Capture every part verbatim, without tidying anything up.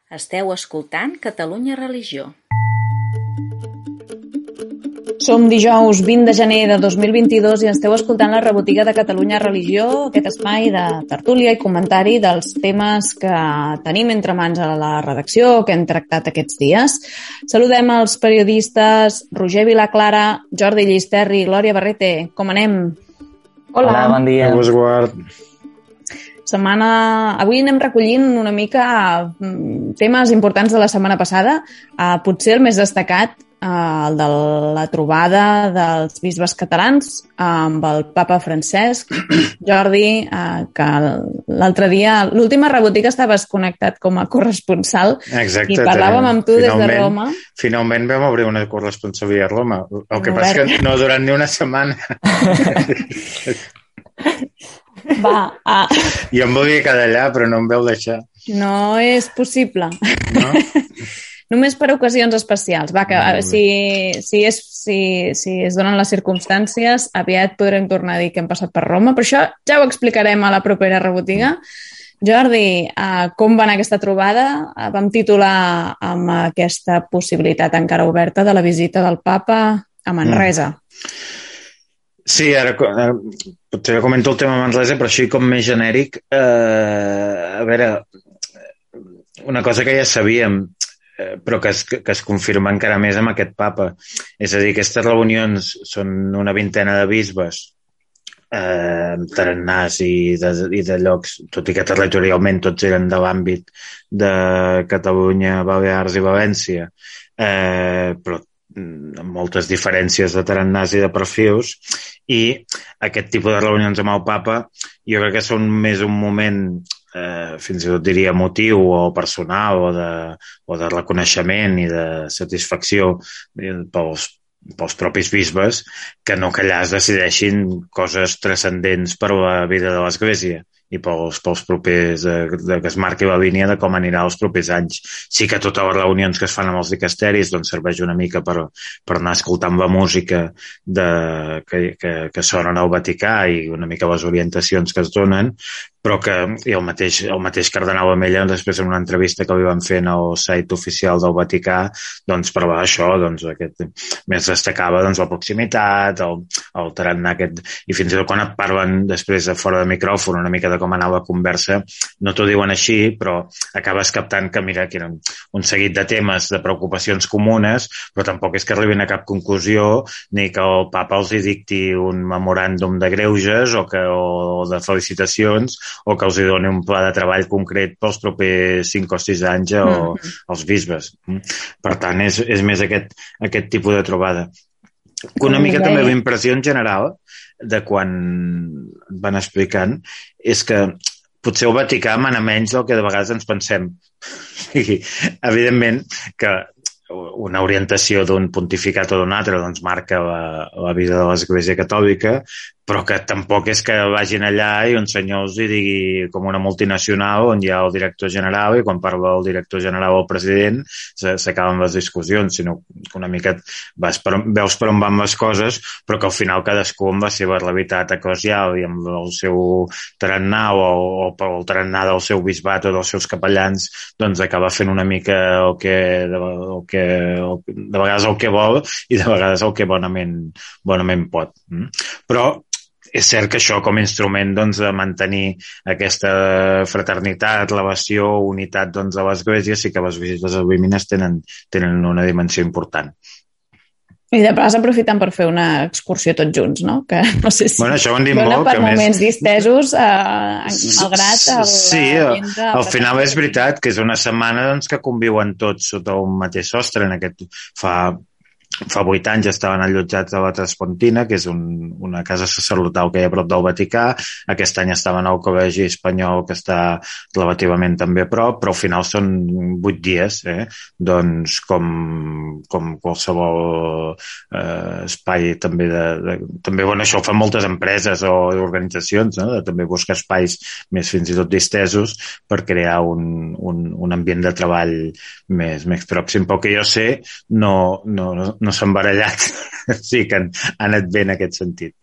Esteu escoltant Catalunya Religió. Som dijous vint de gener de dos mil vint-i-dos i esteu escoltant la rebotiga de Catalunya Religió, aquest espai de tertúlia i comentari dels temes que tenim entre mans a la redacció, que hem tractat aquests dies. Saludem els periodistes Roger Vilaclara, Jordi Llisterri i Glòria Barrete. Com anem? Hola, Hola bon dia. Vos guard. Setmana... Avui anem recollint una mica temes importants de la setmana passada. Uh, potser el més destacat, uh, el de la trobada dels bisbes catalans amb el papa Francesc. Jordi, uh, que l'altre dia, l'última rebotiga estaves connectat com a corresponsal. Exacte, i parlàvem amb tu des de Roma. Finalment vam obrir una corresponsabilitat a Roma. El que passa és que no durant ni una setmana. Va, ah. Jo em volia quedar allà, però no em veu deixar. No és possible. No? Només per ocasions especials. Va, que no, si, si, és, si, si es donen les circumstàncies, aviat podrem tornar a dir que hem passat per Roma, però això ja ho explicarem a la propera rebotiga. Jordi, uh, com va anar aquesta trobada? Uh, vam titular amb aquesta possibilitat encara oberta de la visita del papa a Manresa. Mm. Sí, ara potser comento el tema Manresa, però així com més genèric. Eh, a veure, una cosa que ja sabíem, eh, però que es, que es confirma encara més amb aquest papa. És a dir, aquestes reunions són una vintena de bisbes, eh, tarannàs i de, i de llocs, tot i que territorialment tots eren de l'àmbit de Catalunya, Balears i València, eh, però amb moltes diferències de tarannàs i de perfils, i aquest tipus de reunions amb el papa jo crec que són més un moment, eh, fins i tot diria emotiu o personal o de, o de reconeixement i de satisfacció pels, pels propis bisbes, que no que allà es decideixin coses transcendents per a la vida de l'Església i pels, pels propers, de, de que es marqui la línia de com anirà els propers anys. Sí que totes les reunions que es fan amb els dicasteris doncs serveix una mica per, per anar escoltant la música de, que, que, que sonen al Vaticà i una mica les orientacions que es donen, però que i el mateix, el mateix cardenal Amella, després en una entrevista que li van fer en el site oficial del Vaticà, doncs parlava això, doncs aquest, més destacava doncs, la proximitat, el, el tarannà aquest, i fins i tot quan et parlen després de fora de micròfon una mica de com anava la conversa, no t'ho diuen així, però acabes captant que mira, que eren un seguit de temes, de preocupacions comunes, però tampoc és que arribin a cap conclusió, ni que el papa els hi dicti un memoràndum de greuges o, que, o de felicitacions, o que els hi doni un pla de treball concret pels propers cinc o sis anys o mm-hmm. els bisbes. Per tant, és, és més aquest, aquest tipus de trobada. Una mica també la impressió en general de quan van explicant és que potser el Vaticà mana menys del que de vegades ens pensem. I, evidentment que una orientació d'un pontificat o d'un altre doncs marca la, la vida de l'Església Catòlica, però que tampoc és que vagin allà i un senyor els hi digui com una multinacional on hi ha el director general i quan parla el director general o el president s'acaben les discussions, sinó que una mica vas per, veus per on van les coses, però que al final cadascú amb la seva realitat eclesial i amb el seu tarannà o, o el tarannà del seu bisbat o dels seus capellans, doncs acaba fent una mica el que, el que el, de vegades el que vol i de vegades el que bonament, bonament pot. Però és cert que això com a instrument doncs, de mantenir aquesta fraternitat, relació, unitat doncs, de l'Església, sí que les visites a Vímines tenen, tenen una dimensió important. I de pas aprofitant per fer una excursió tots junts, no? Que no sé si bueno, això ho han dit dona molt, per que moments més... distesos, eh, malgrat el... Sí, al, al final és veritat que és una setmana doncs, que conviuen tots sota un mateix sostre. En aquest fa... Fa vuit anys estaven allotjats a la Traspontina, que és un, una casa sacerdotal que hi ha a prop del Vaticà. Aquest any estaven al Col·legi Espanyol, que està relativament també a prop, però al final són vuit dies, eh? Doncs com, com qualsevol eh, espai també de, de... També, bueno, això ho fan moltes empreses o organitzacions, no? De també buscar espais més fins i tot distesos per crear un, un, un ambient de treball més, més pròxim. Pel que jo sé, no, no, no no s'han barallat, sí que han, han anat bé en aquest sentit.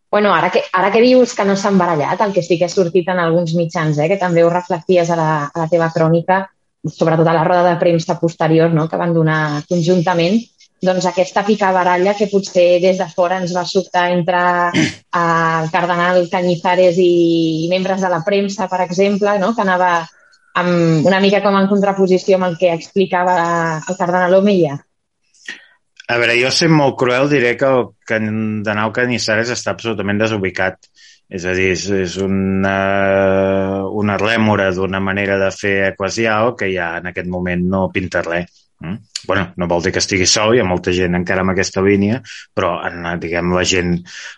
Bueno, ara que, ara que dius que no s'han barallat, el que sí que ha sortit en alguns mitjans, eh, que també ho reflecties a la, a la teva crònica, sobretot a la roda de premsa posterior, no?, que van donar conjuntament, doncs aquesta picabaralla que potser des de fora ens va sobtar entre el cardenal Cañizares i membres de la premsa, per exemple, no?, que anava amb, una mica com en contraposició amb el que explicava el cardenal Omeya. A veure, jo sent molt cruel diré que el cardenal Cañizares està absolutament desubicat. És a dir, és, és una, una rèmora d'una manera de fer eclesial que ja en aquest moment no pinta res. Mm? Bueno, no vol dir que estigui sol, hi ha molta gent encara en aquesta línia, però en, diguem, la gent,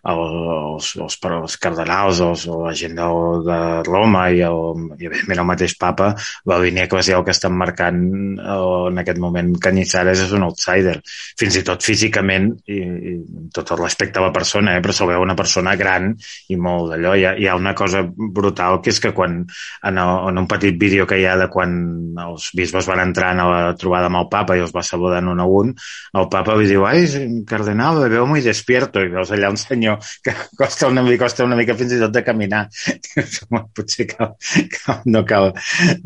els, els, els cardenals, els, la gent de, de Roma i, el, i evidentment el mateix papa, la línia eclesial que estan marcant en aquest moment Cañizares és un outsider, fins i tot físicament, i, i tot el respecte a la persona, eh, però se'l veu una persona gran i molt d'allò. Hi ha, hi ha una cosa brutal, que és que quan en, el, en un petit vídeo que hi ha de quan els bisbes van entrar a la trobada amb el papa i els va saludant un a un, el papa li diu, ai, cardenal, me veo muy despierto, i veus allà un senyor que costa una mica, costa una mica fins i tot de caminar. Potser cal, cal, no, cal,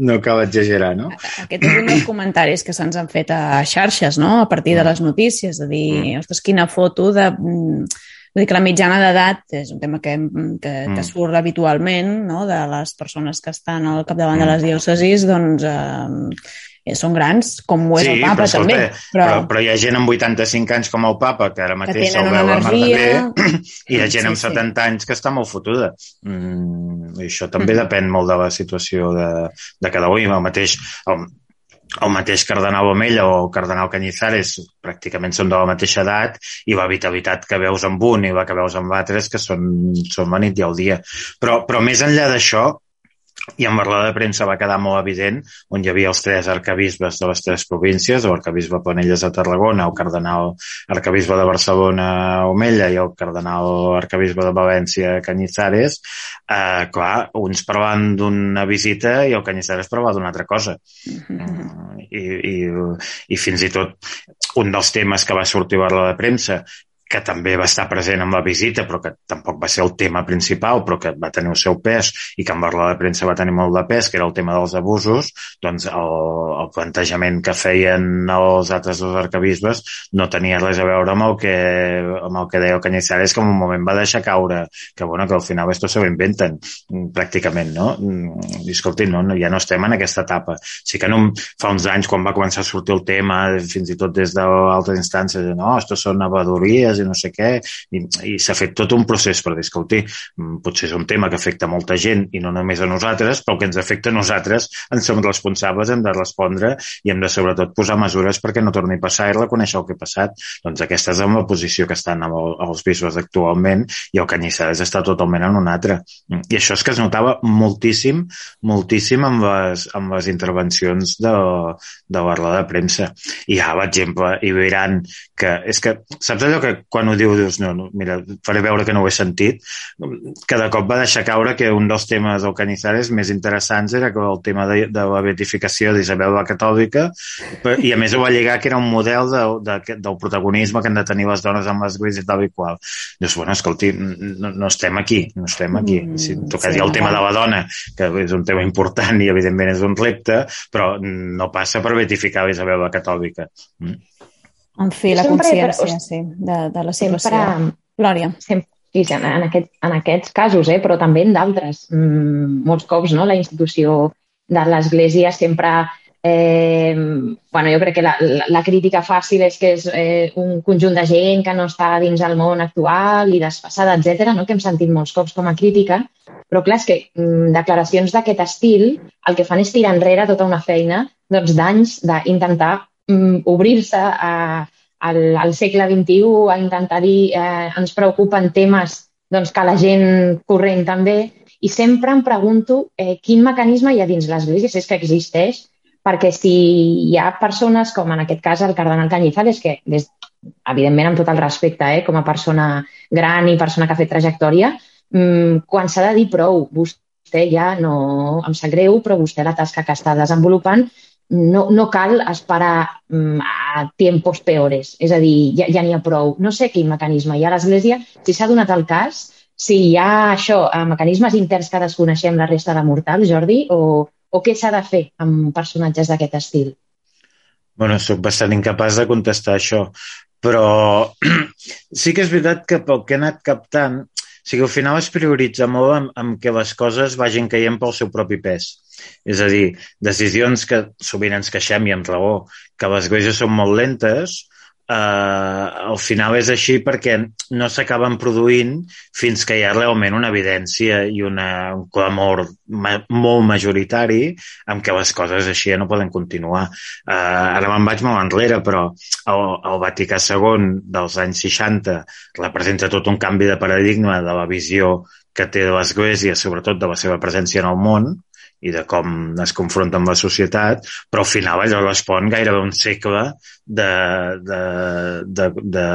no cal exagerar, no? Aquest és un dels comentaris que se'ns han fet a xarxes, no?, a partir de les notícies, de dir, mm. ostres, quina foto de... Vull dir que la mitjana d'edat és un tema que, que, que surt habitualment, no?, de les persones que estan al capdavant de les diòcesis, doncs... Eh, són grans, com ho és sí, el papa, però, escolta, també. Però... Però, però hi ha gent amb vuitanta-cinc anys com el papa, que ara mateix se'l veu a mar de bé, i hi ha gent sí, amb setanta sí. anys que està molt fotuda. Mm, i això també mm. depèn molt de la situació de, de cada un. El mateix, el, el mateix cardenal Omeya o el cardenal Cañizares pràcticament són de la mateixa edat, i la vitalitat que veus amb un i la que veus amb l'altre és que són, són la nit i el dia. Però, però més enllà d'això, i en la roda de premsa va quedar molt evident, on hi havia els tres arcabisbes de les tres províncies, l'arcabisbe Planelles de Tarragona, el cardenal arcabisbe de Barcelona Omeya i el cardenal arcabisbe de València Cañizares, eh, clar, uns parlaven d'una visita i el Cañizares parlava d'una altra cosa. Mm, i, i, I fins i tot un dels temes que va sortir a la roda de premsa, que també va estar present en la visita, però que tampoc va ser el tema principal, però que va tenir el seu pes i que en la roda de premsa va tenir molt de pes, que era el tema dels abusos, doncs el, el plantejament que feien els altres dos arcabisbes no tenia res a veure amb el que, amb el que deia el Cañizares, que en un moment va deixar caure, que bueno, que al final esto se ho inventen, pràcticament, no? I escolti, no, ja no estem en aquesta etapa. Sí que no, fa uns anys, quan va començar a sortir el tema, fins i tot des d'altres instàncies, no, esto són avadories i no sé què, i, i s'ha fet tot un procés per discutir. Potser és un tema que afecta molta gent i no només a nosaltres, però el que ens afecta a nosaltres en som responsables, hem de respondre i hem de sobretot posar mesures perquè no torni a passar i reconèixer el que ha passat. Doncs aquesta és la posició que estan els bisbes actualment, i el Cañizares està totalment en un altre. I això és que es notava moltíssim, moltíssim amb les, amb les intervencions de, de la roda de premsa. I ja, per exemple, hi veuran que és que, saps allò que quan ho diu, dius, no, no, mira, faré veure que no ho he sentit, que de cop va deixar caure que un dels temes del Cañizares més interessants era que el tema de, de la beatificació d'Isabel la Catòlica, i a més ho va lligar que era un model de, de, del protagonisme que han de tenir les dones en l'església i tal i qual. Dius, bueno, escolti, no, no estem aquí, no estem aquí. Si tocaria sí, el tema de la dona, que és un tema important i evidentment és un repte, però no passa per beatificar l'Isabel la Catòlica. Mm. En fi, la sempre, consciència, però, sí, de, de la situació. Sempre, Glòria. Sempre, sí, en, en, aquest, en aquests casos, eh, però també en d'altres. Mm, molts cops, no?, la institució de l'Església sempre... Eh, bueno, jo crec que la, la, la crítica fàcil és que és eh, un conjunt de gent que no està dins el món actual i desfasada, etcètera, no?, que hem sentit molts cops com a crítica, però clar, és que mm, declaracions d'aquest estil el que fan és tirar enrere tota una feina doncs, d'anys d'intentar obrir-se a, al, al segle vint-i-u, a intentar dir eh, ens preocupen temes doncs, que la gent corrent també, i sempre em pregunto eh, quin mecanisme hi ha dins l'Església, si és que existeix, perquè si hi ha persones, com en aquest cas el cardenal Cañizares, que des, evidentment amb tot el respecte, eh, com a persona gran i persona que ha fet trajectòria, mmm, quan s'ha de dir prou, vostè ja no, em sap greu, però vostè la tasca que està desenvolupant No, no cal esperar mm, a tiempos peores, és a dir, ja, ja n'hi ha prou. No sé quin mecanisme hi ha a l'Església, si s'ha donat el cas, si hi ha això, mecanismes interns que desconeixem la resta de mortals, Jordi, o, o què s'ha de fer amb personatges d'aquest estil? Bueno, soc bastant incapaç de contestar això, però sí que és veritat que pel que he anat captant, o sigui, al final es prioritza molt amb, amb que les coses vagin caient pel seu propi pes. És a dir, decisions que sovint ens queixem i amb raó, que les coses són molt lentes, eh, al final és així perquè no s'acaben produint fins que hi ha realment una evidència i una, un clamor ma, molt majoritari amb què les coses així ja no poden continuar. Eh, ara me'n vaig molt enrere, però el, el Vaticà segon dels anys seixanta representa tot un canvi de paradigma de la visió que té de l'Església, sobretot de la seva presència en el món, i de com es confronta amb la societat, però al final allò respon gairebé un segle de, de, de, de,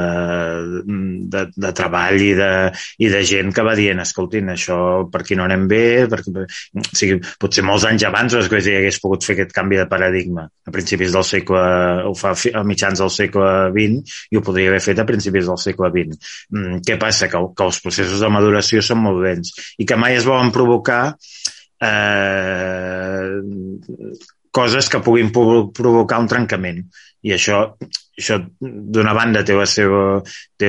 de, de treball i de, i de gent que va dient, escoltin, això per aquí no anem bé, perquè, o sigui, potser molts anys abans l'Església hagués pogut fer aquest canvi de paradigma a principis del segle, ho fa a mitjans del segle vint i ho podria haver fet a principis del segle vint. Què passa? Que, que els processos de maduració són molt lents i que mai es volen provocar Eh, coses que puguin provocar un trencament i això, això d'una banda té, la seva, té,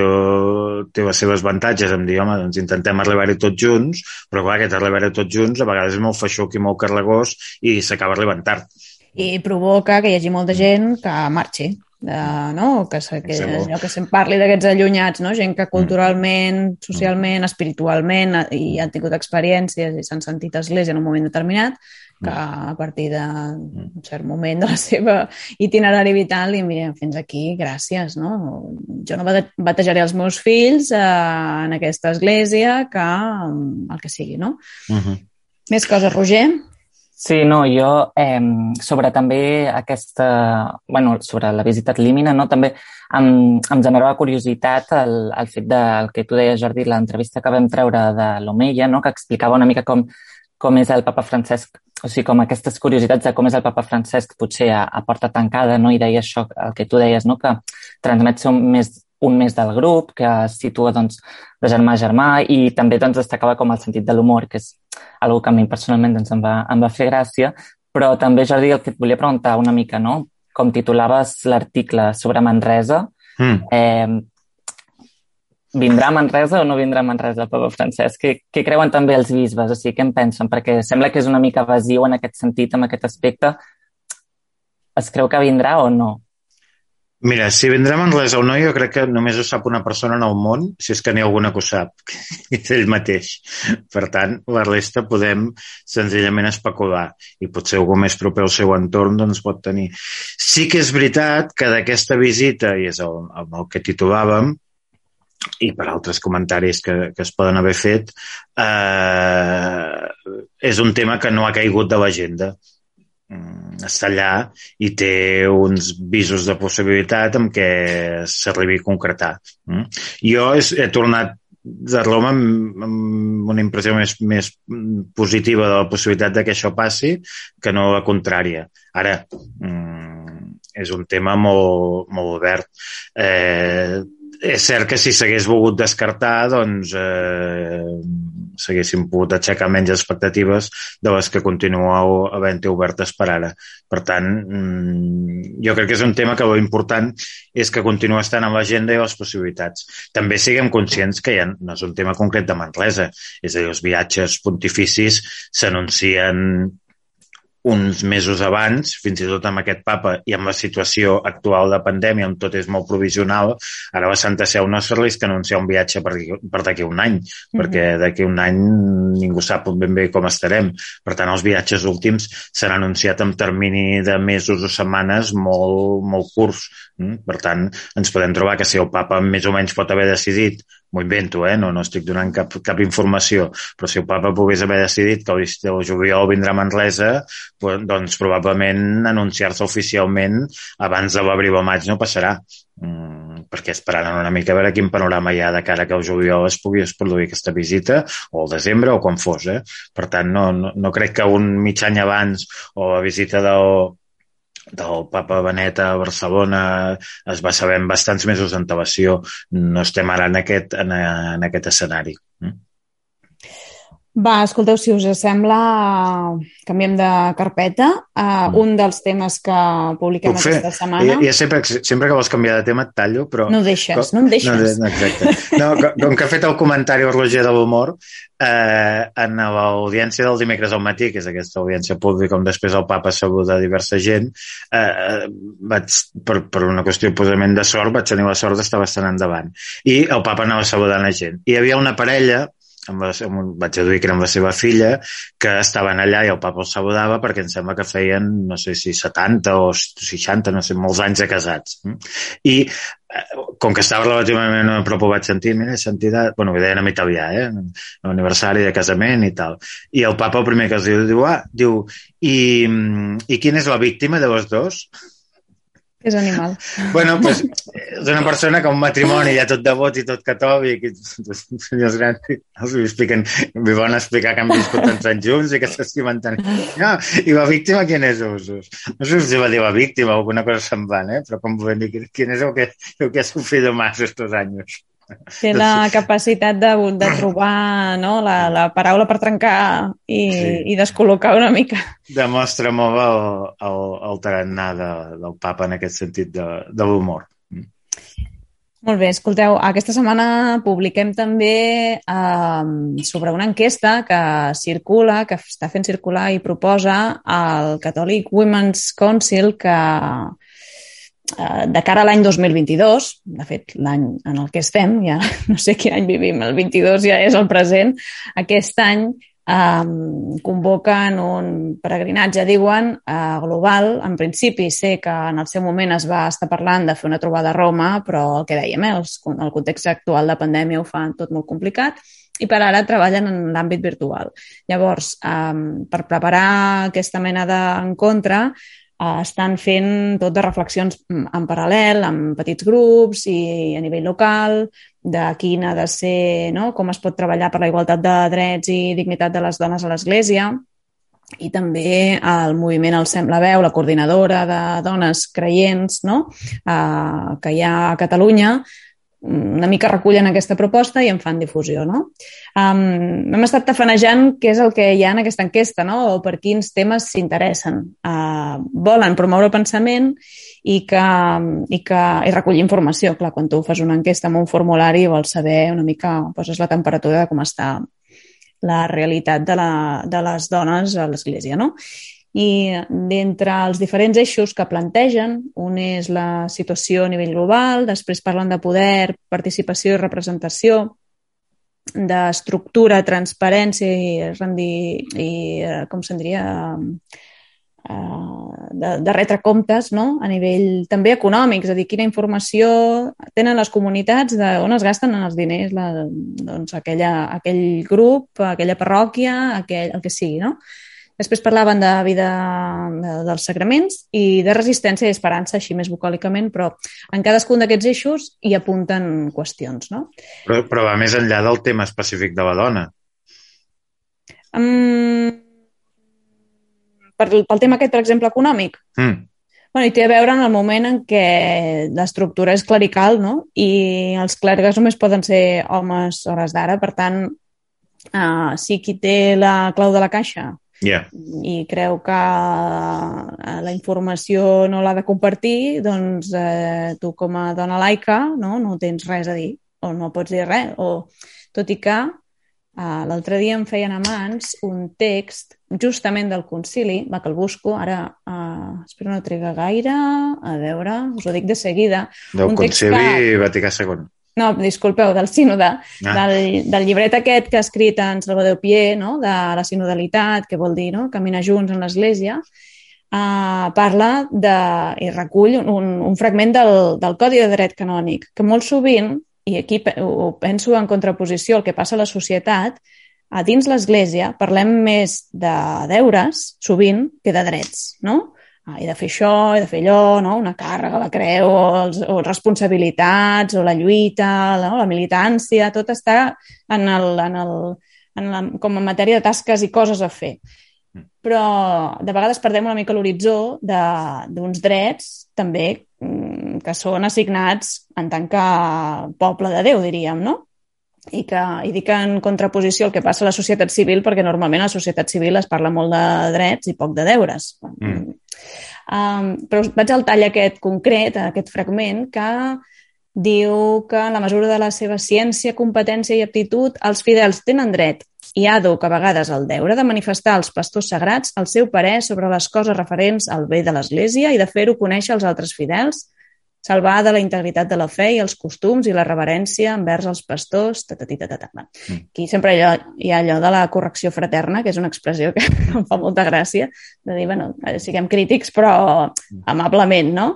té les seves avantatges em dir, home, doncs intentem arribar-hi tots junts, però clar, aquest arribar-hi tots junts a vegades és molt feixuc i molt carregós i s'acaba arribant tard. I provoca que hi hagi molta gent que marxi. Uh, no? que, que, allò que se'n parli d'aquests allunyats, no? Gent que culturalment, socialment, espiritualment i han tingut experiències i s'han sentit església en un moment determinat, que a partir d'un cert moment de la seva itinerari vital i mira, fins aquí, gràcies, no? Jo no batejaré els meus fills uh, en aquesta església que um, el que sigui, no? Uh-huh. Més coses, Roger? Sí, no, jo eh, sobre també aquesta, bueno, sobre la visita ad limina, no, també em, em generava curiositat el, el fet del que tu deies, Jordi, l'entrevista que vam treure de l'Omeia, no, que explicava una mica com, com és el papa Francesc, o sigui, com aquestes curiositats de com és el papa Francesc potser a, a porta tancada, no, i deia això, el que tu deies, no, que transmet ser un més, un més del grup, que es situa, doncs, de germà a germà, i també, doncs, destacava com el sentit de l'humor, que és algo que a mi personalment doncs, em, va, em va fer gràcia, però també, Jordi, el que et volia preguntar una mica, no? Com titulaves l'article sobre Manresa, mm. eh, vindrà a Manresa o no vindrà a Manresa el papa Francesc? Què, què creuen també els bisbes? O sigui, què en pensen? Perquè sembla que és una mica evasiu en aquest sentit, en aquest aspecte. Es creu que vindrà o no? Mira, si vindrà a Manresa o no, jo crec que només ho sap una persona en el món, si és que n'hi ha alguna que ho sap, que és ell mateix. Per tant, la resta podem senzillament especular i potser algú més proper al seu entorn doncs pot tenir. Sí que és veritat que d'aquesta visita, i és el, el que titulàvem, i per altres comentaris que, que es poden haver fet, eh, és un tema que no ha caigut de l'agenda. Està allà i té uns visos de possibilitat amb què s'arribi a concretar. Jo he tornat de Roma amb una impressió més, més positiva de la possibilitat de que això passi que no la contrària. Ara, és un tema molt, molt obert. Eh, és cert que si s'hagués volgut descartar, doncs eh, s'haguessin pogut aixecar menys expectatives de les que continueu havent-hi obertes per ara. Per tant, jo crec que és un tema que l'important és que continua estant en l'agenda i les possibilitats. També siguem conscients que ja no és un tema concret de Manresa, és a dir, els viatges pontificis s'anuncien uns mesos abans, fins i tot amb aquest papa i amb la situació actual de pandèmia on tot és molt provisional, ara la Santa Seu no s'arrisca a anunciar un viatge per, per d'aquí un any, mm-hmm. perquè d'aquí un any ningú sap ben bé com estarem. Per tant, els viatges últims s'han anunciat amb termini de mesos o setmanes molt, molt curts. Per tant, ens podem trobar que si el papa més o menys pot haver decidit, m'ho invento, eh? no, no estic donant cap, cap informació, però si el papa pogués haver decidit que el juliol vindrà a Manresa, doncs probablement anunciar-se oficialment abans de l'abril o maig no passarà, mm, perquè esperaran una mica a veure quin panorama hi ha de cara que el juliol es pugui produir aquesta visita, o el desembre, o quan fos. Eh? Per tant, no, no, no crec que un mig any abans o la visita del del papa Benet a Barcelona es va saber en bastants mesos d'antelació. No estem ara en aquest, en, en aquest escenari. Va, escolteu, si us sembla, canviem de carpeta. Uh, un dels temes que publiquem Puc fer? aquesta setmana... Ja, ja sempre, sempre que vols canviar de tema et tallo, però... No deixes, com, no em deixes. No, exacte. No, com, com que ha fet el comentari o Roger de l'humor, eh, en l'audiència del dimecres al matí, que és aquesta audiència pública on després el papa saluda diversa gent, eh, vaig, per, per una qüestió purament de sort, vaig tenir la sort d'estar bastant endavant. I el papa anava saludant la gent. I hi havia una parella, amb la, amb, vaig deduir que era amb la seva filla, que estaven allà i el papa els saludava perquè em sembla que feien, no sé si setanta o seixanta, no sé, molts anys de casats. I com que estava relativament a prop ho vaig sentir, mira, sentida, bueno, ho deien en italià, eh? L'aniversari de casament i tal. I el papa el primer que els diu, diu, ah, diu, i, i quina és la víctima de los dos? És animal. Bueno, pues, és una persona que un matrimoni ja tot devot i tot catòlic, i senyors grans els expliquen, li van explicar que han viscut tants anys junts i que s'estimen tant. No, i la víctima, quin és, Usos? No sé si va dir la víctima o alguna cosa semblant, eh? Però com volem dir, quin és el que, el que ha sofrido más estos anys? Té la capacitat de, de trobar, no, la, la paraula per trencar i, sí. i descol·locar una mica. Demostra molt el, el, el tarannà de, del papa en aquest sentit de, de l'humor. Molt bé, escolteu, aquesta setmana publiquem també eh, sobre una enquesta que circula, que està fent circular i proposa el Catholic Women's Council que de cara a l'any dos mil vint-i-dos, de fet, l'any en el que estem, ja no sé quin any vivim, el vint-i-dos ja és el present, aquest any eh, convoquen un peregrinatge, diuen, eh, global. En principi sé que en el seu moment es va estar parlant de fer una trobada a Roma, però el que dèiem, eh, el context actual de pandèmia ho fa tot molt complicat, i per ara treballen en l'àmbit virtual. Llavors, eh, per preparar aquesta mena d'encontre, estan fent tot de reflexions en paral·lel, amb petits grups i a nivell local, de quin ha de ser, no? Com es pot treballar per la igualtat de drets i dignitat de les dones a l'Església, i també el moviment El Sem la Veu, la coordinadora de dones creients, no? eh, que hi ha a Catalunya, una mica recullen aquesta proposta i en fan difusió, no? Um, hem estat tafanejant què és el que hi ha en aquesta enquesta, no? O per quins temes s'interessen. Uh, volen promoure el pensament i, que, i, que, i recollir informació. Clar, quan tu fas una enquesta amb un formulari vols saber una mica, poses la temperatura de com està la realitat de, la, de les dones a l'Església, no? I d'entre els diferents eixos que plantegen, un és la situació a nivell global, després parlen de poder, participació i representació, d'estructura, transparència i, rendir, i com se'n diria, de, de retre comptes, no? A nivell també econòmic, és a dir, quina informació tenen les comunitats, de on es gasten els diners, la, doncs aquella, aquell grup, aquella parròquia, aquell, el que sigui, no? Després parlaven de vida dels sacraments i de resistència i esperança, així més bucòlicament, però en cadascun d'aquests eixos hi apunten qüestions, no? Però, però va més enllà del tema específic de la dona. Um, per, pel tema aquest, per exemple, econòmic? Mm. Bueno, i té a veure en el moment en què l'estructura és clerical, no? I els clergues només poden ser homes a hores d'ara, per tant, uh, si qui té la clau de la caixa Yeah. i creu que la informació no l'ha de compartir, doncs eh, tu com a dona laica no, no tens res a dir o no pots dir res. O, tot i que eh, l'altre dia em feien a mans un text justament del concili, va que el busco, ara eh, espero no triga gaire, a veure, us ho dic de seguida. Del un concili que... Vaticà segon. No, disculpeu, del sínode, ah. del, del llibret aquest que ha escrit en Salvador Pier, no? De la sinodalitat, que vol dir no? Caminar junts en l'Església, uh, parla de, i recull un, un fragment del, del Codi de Dret Canònic, que molt sovint, i aquí ho penso en contraposició al que passa a la societat, a dins l'Església parlem més de deures, sovint, que de drets, no? Ah, he de fer això, he de fer allò, no? Una càrrega, la creu, o, els, o responsabilitats, o la lluita, no? La militància, tot està en el, en el, en la, com a matèria de tasques i coses a fer. Però de vegades perdem una mica l'horitzó d'uns drets també que són assignats en tant que poble de Déu, diríem, no? i, que, i dic en contraposició al que passa a la societat civil, perquè normalment a la societat civil es parla molt de drets i poc de deures. Mm. Um, però vaig al tall aquest concret, aquest fragment, que diu que en la mesura de la seva ciència, competència i aptitud, els fidels tenen dret i àdhuc a vegades el deure de manifestar als pastors sagrats el seu parer sobre les coses referents al bé de l'Església i de fer-ho conèixer als altres fidels, salvar de la integritat de la fe i els costums i la reverència envers els pastors, tatatita. Aquí sempre hi ha, hi ha allò de la correcció fraterna, que és una expressió que em fa molta gràcia, de dir, bueno, siguem crítics, però amablement, no?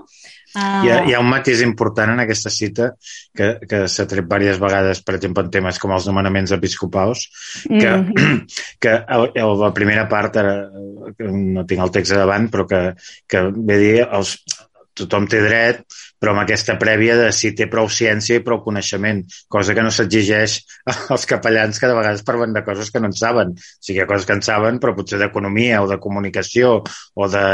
Uh... Hi, ha, hi ha un matís important en aquesta cita que, que s'ha tret diverses vegades, per exemple, en temes com els nomenaments episcopals, que, mm-hmm. que la primera part, ara, no tinc el text davant, però que, que ve a dir els, tothom té dret, però amb aquesta prèvia de si té prou ciència i prou coneixement, cosa que no s'exigeix als capellans que de vegades parlen de coses que no en saben. O sigui, hi ha coses que en saben, però potser d'economia o de comunicació o de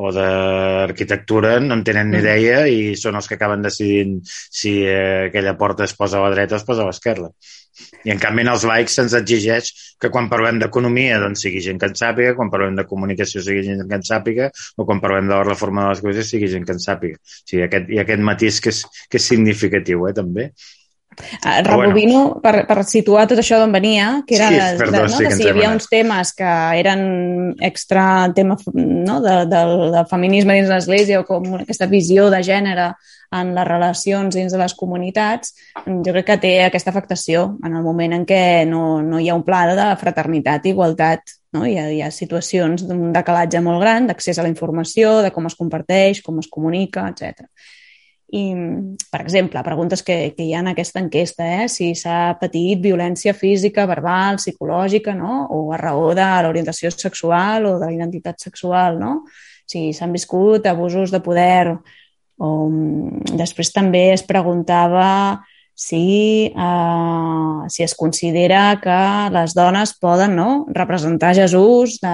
o d'arquitectura no en tenen ni idea i són els que acaben decidint si eh, aquella porta es posa a la dreta o es posa a l'esquerra. I en canvi en els laics se'ns exigeix que quan parlem d'economia doncs sigui gent que en sàpiga, quan parlem de comunicació sigui gent que en sàpiga o quan parlem de la reforma de les coses sigui gent que en sàpiga. O sigui, aquest, hi ha aquest matís que és, que és significatiu, eh, també. Uh, rebobino bueno. per, per situar tot això d'on venia, que era sí, de, perdó, de, no? sí, que si hi havia uns temes que eren extra tema no? de, de, de feminisme dins l'Església o com aquesta visió de gènere en les relacions dins de les comunitats, jo crec que té aquesta afectació en el moment en què no, no hi ha un pla de fraternitat i igualtat. No? Hi, ha, hi ha situacions d'un decalatge molt gran d'accés a la informació, de com es comparteix, com es comunica, etcètera. I, per exemple, preguntes que, que hi ha en aquesta enquesta, eh? Si s'ha patit violència física, verbal, psicològica, no? O a raó de l'orientació sexual o de la identitat sexual, no? Si s'han viscut abusos de poder. O, després també es preguntava si, eh, si es considera que les dones poden no, representar Jesús de,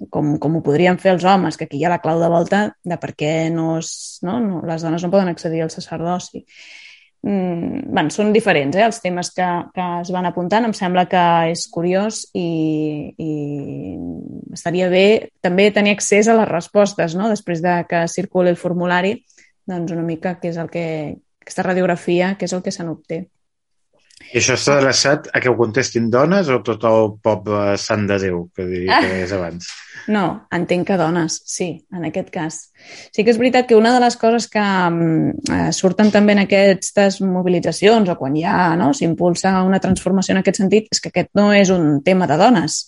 com, com ho podrien fer els homes, que aquí hi ha la clau de volta de per què no es, no, no, les dones no poden accedir al sacerdoci. Mm, bueno, són diferents eh, els temes que, que es van apuntant. Em sembla que és curiós i, i estaria bé també tenir accés a les respostes, no? Després de que circuli el formulari, doncs una mica què és el que, aquesta radiografia, què és el que se n'obté. I això està adreçat a que ho contestin dones o tot el poble sant de Déu, que deies abans? No, entenc que dones, sí, en aquest cas. Sí que és veritat que una de les coses que eh, surten també en aquestes mobilitzacions o quan hi ha, no, s'impulsa una transformació en aquest sentit, és que aquest no és un tema de dones.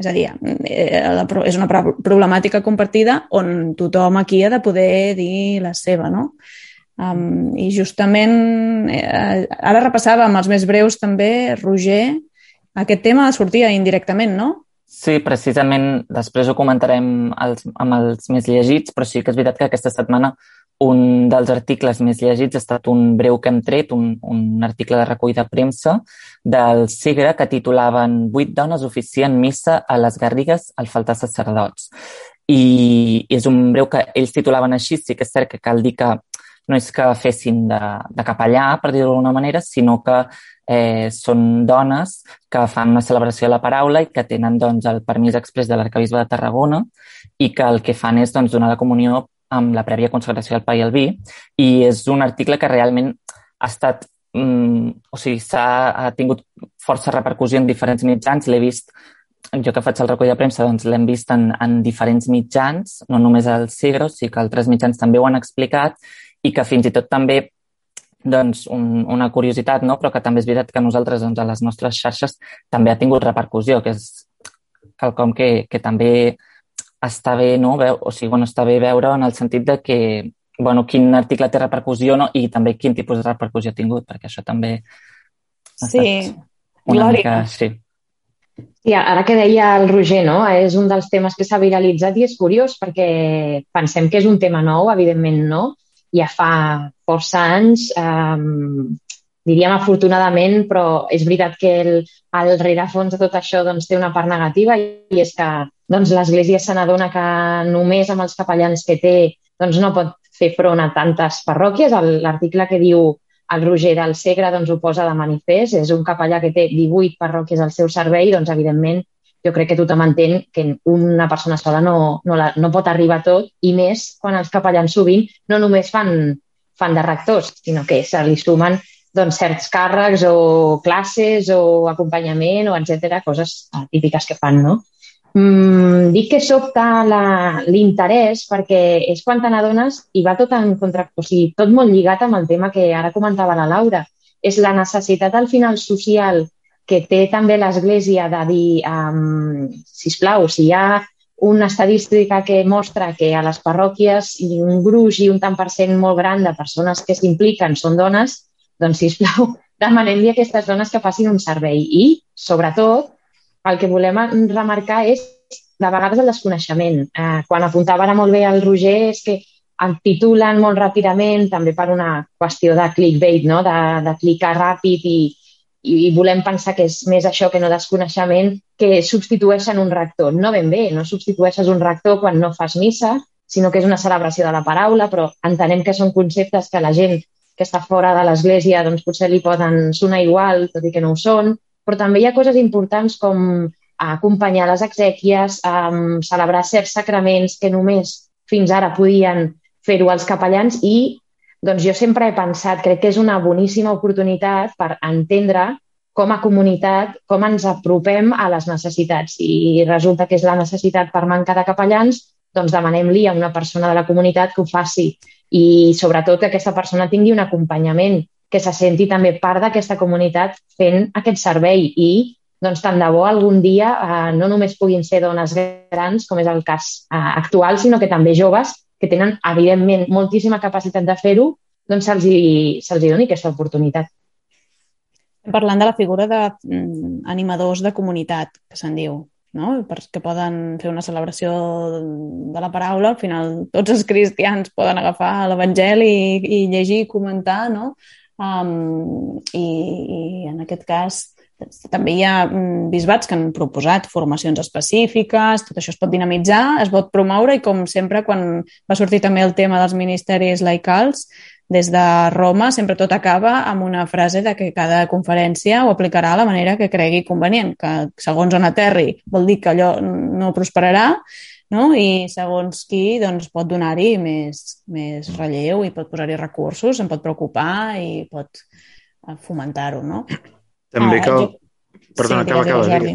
És a dir, és una problemàtica compartida on tothom aquí ha de poder dir la seva, no? Um, I justament, eh, ara repassàvem els més breus també, Roger, aquest tema sortia indirectament, no? Sí, precisament, després ho comentarem els, amb els més llegits, però sí que és veritat que aquesta setmana un dels articles més llegits ha estat un breu que hem tret, un, un article de recull de premsa del Segre que titulaven «Vuit dones oficien missa a les Garrigues al faltar sacerdots». I, i és un breu que ells titulaven així, sí que és cert que cal dir que no és que fessin de, de capellà, per dir-ho d'alguna manera, sinó que eh, són dones que fan una celebració de la paraula i que tenen doncs, el permís exprés de l'arquebisbe de Tarragona i que el que fan és doncs, donar la comunió amb la prèvia consagració al pa i al vi. I és un article que realment ha estat, mm, o sigui, s'ha ha tingut força repercussió en diferents mitjans. L'he vist, jo que faig el recull de premsa, doncs l'hem vist en, en diferents mitjans, no només al Segre, sí que altres mitjans també ho han explicat, i que fins i tot també, doncs, un, una curiositat, no? Però que també és veritat que nosaltres, doncs, a les nostres xarxes també ha tingut repercussió, que és quelcom que, que també està bé, no? Veu, o sigui, bueno, està bé veure en el sentit de que, bueno, quin article té repercussió, no? I també quin tipus de repercussió ha tingut, perquè això també ha sí. estat una Glòria. mica... Sí. Sí, ara que deia el Roger, no? És un dels temes que s'ha viralitzat i és curiós perquè pensem que és un tema nou, evidentment no, ja fa força anys, eh, diríem afortunadament, però és veritat que el, el rerefons de tot això doncs, té una part negativa i és que doncs, l'Església se n'adona que només amb els capellans que té doncs, no pot fer front a tantes parròquies. L'article que diu el Roger del Segre doncs, ho posa de manifest, és un capellà que té divuit parròquies al seu servei, doncs evidentment jo crec que tothom entén que una persona sola no, no, la, no pot arribar a tot, i més quan els capellans sovint no només fan, fan de rectors, sinó que se li sumen doncs, certs càrrecs o classes o acompanyament o etcètera, coses típiques que fan, no? Mm, dic que sobta l'interès perquè és quan te n'adones i va tot en contra, o sigui, tot molt lligat amb el tema que ara comentava la Laura. És la necessitat al final social que té també l'Església de dir, um, sisplau, si hi ha una estadística que mostra que a les parròquies i un gruix i un tant per cent molt gran de persones que s'impliquen són dones, doncs, sisplau, demanem-li a aquestes dones que facin un servei. I, sobretot, el que volem remarcar és, de vegades, el desconeixement. Eh, quan apuntava ara molt bé el Roger, és que el titulen molt ràpidament, també per una qüestió de clickbait, no? de, de clicar ràpid i, i volem pensar que és més això que no desconeixement, que substitueixen un rector. No ben bé, no substitueixes un rector quan no fas missa, sinó que és una celebració de la paraula, però entenem que són conceptes que la gent que està fora de l'Església doncs, potser li poden sonar igual, tot i que no ho són, però també hi ha coses importants com acompanyar les exèquies, um, celebrar certs sacraments que només fins ara podien fer-ho els capellans i doncs, jo sempre he pensat, crec que és una boníssima oportunitat per entendre com a comunitat, com ens apropem a les necessitats. I resulta que és la necessitat per manca de capellans, doncs demanem-li a una persona de la comunitat que ho faci i sobretot que aquesta persona tingui un acompanyament, que se senti també part d'aquesta comunitat fent aquest servei i doncs, tant de bo algun dia eh, no només puguin ser dones grans, com és el cas eh, actual, sinó que també joves que tenen, evidentment, moltíssima capacitat de fer-ho, doncs se'ls hi, se'ls hi doni aquesta oportunitat. Parlant de la figura d'animadors de, de comunitat, que se'n diu, no? Perquè poden fer una celebració de la paraula, al final tots els cristians poden agafar l'Evangeli i, i llegir i comentar, no? Um, i, i en aquest cas també hi ha bisbats que han proposat formacions específiques, tot això es pot dinamitzar, es pot promoure i com sempre quan va sortir també el tema dels ministeris laicals des de Roma sempre tot acaba amb una frase de que cada conferència ho aplicarà a la manera que cregui convenient, que segons on aterri vol dir que allò no prosperarà, no? I segons qui doncs, pot donar-hi més, més relleu i pot posar-hi recursos, se'n pot preocupar i pot fomentar-ho, no? També ah, cal... jo... Perdona, sí, acaba, acaba. Jordi.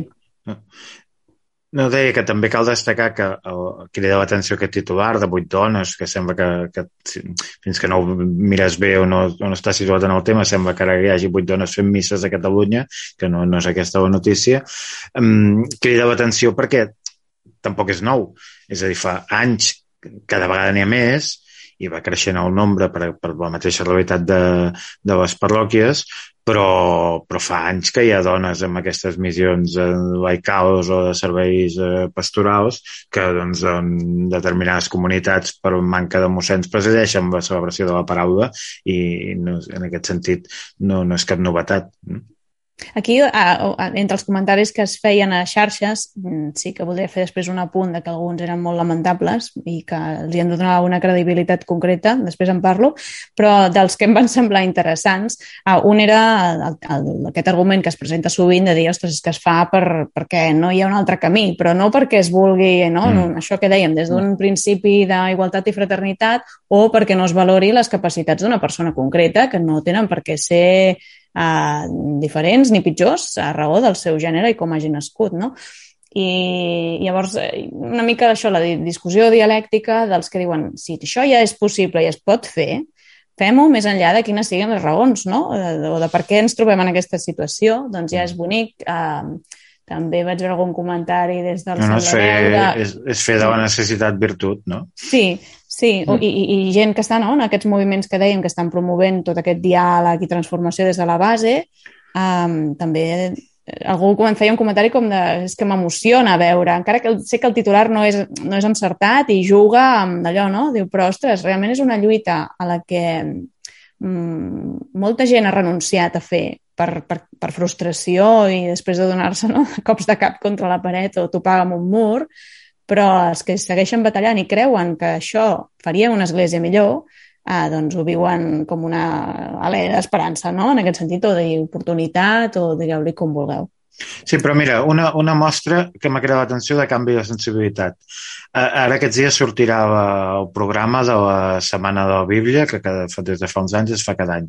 No. no, deia que també cal destacar que el, crida l'atenció aquest titular de vuit dones, que sembla que, que fins que no ho mires bé o no, o no està situat en el tema, sembla que ara hi hagi vuit dones fent misses a Catalunya, que no, no és aquesta la notícia. Um, crida l'atenció perquè tampoc és nou. És a dir, fa anys cada vegada n'hi ha més i va creixent el nombre per, per la mateixa realitat de, de les parròquies, però, però fa anys que hi ha dones amb aquestes missions eh, laicals o de serveis eh, pastorals que doncs, en determinades comunitats per manca de mossens presideixen la celebració de la paraula i no, en aquest sentit no, no és cap novetat. Aquí, entre els comentaris que es feien a xarxes, sí que voldria fer després un apunt de que alguns eren molt lamentables i que els hi han de donar una credibilitat concreta, després en parlo, però dels que em van semblar interessants, un era el, el, aquest argument que es presenta sovint de dir, ostres, és que es fa per, perquè no hi ha un altre camí, però no perquè es vulgui, no? Mm. Això que dèiem, des d'un principi d'igualtat i fraternitat o perquè no es valori les capacitats d'una persona concreta que no tenen per què ser Uh, diferents ni pitjors a raó del seu gènere i com hagi nascut, no? I llavors una mica d'això, la discussió dialèctica dels que diuen si això ja és possible i es pot fer, fem-ho més enllà de quines siguin les raons, no? O de per què ens trobem en aquesta situació, doncs ja és bonic. Uh, també vaig veure algun comentari des del no, no, és, fer, de... és, és fer de la necessitat virtut, no? Sí, sí, mm. I, i, i gent que està, no?, en aquests moviments que dèiem que estan promovent tot aquest diàleg i transformació des de la base, um, també algú feia un comentari com de és que m'emociona veure, encara que sé que el titular no és, no és encertat i juga amb allò, no? Diu, però ostres, realment és una lluita a la que um, molta gent ha renunciat a fer Per, per, per frustració i després de donar-se, no?, cops de cap contra la paret o topar amb un mur, però els que segueixen batallant i creuen que això faria una església millor, eh, doncs ho viuen com una alè d'esperança, no? En aquest sentit, o d'oportunitat, o digueu-li com vulgueu. Sí, però mira, una, una mostra que m'ha cridat l'atenció de canvi de sensibilitat. Ara aquests dies sortirà el programa de la Setmana de la Bíblia, que cada, des de fa uns anys es fa cada any.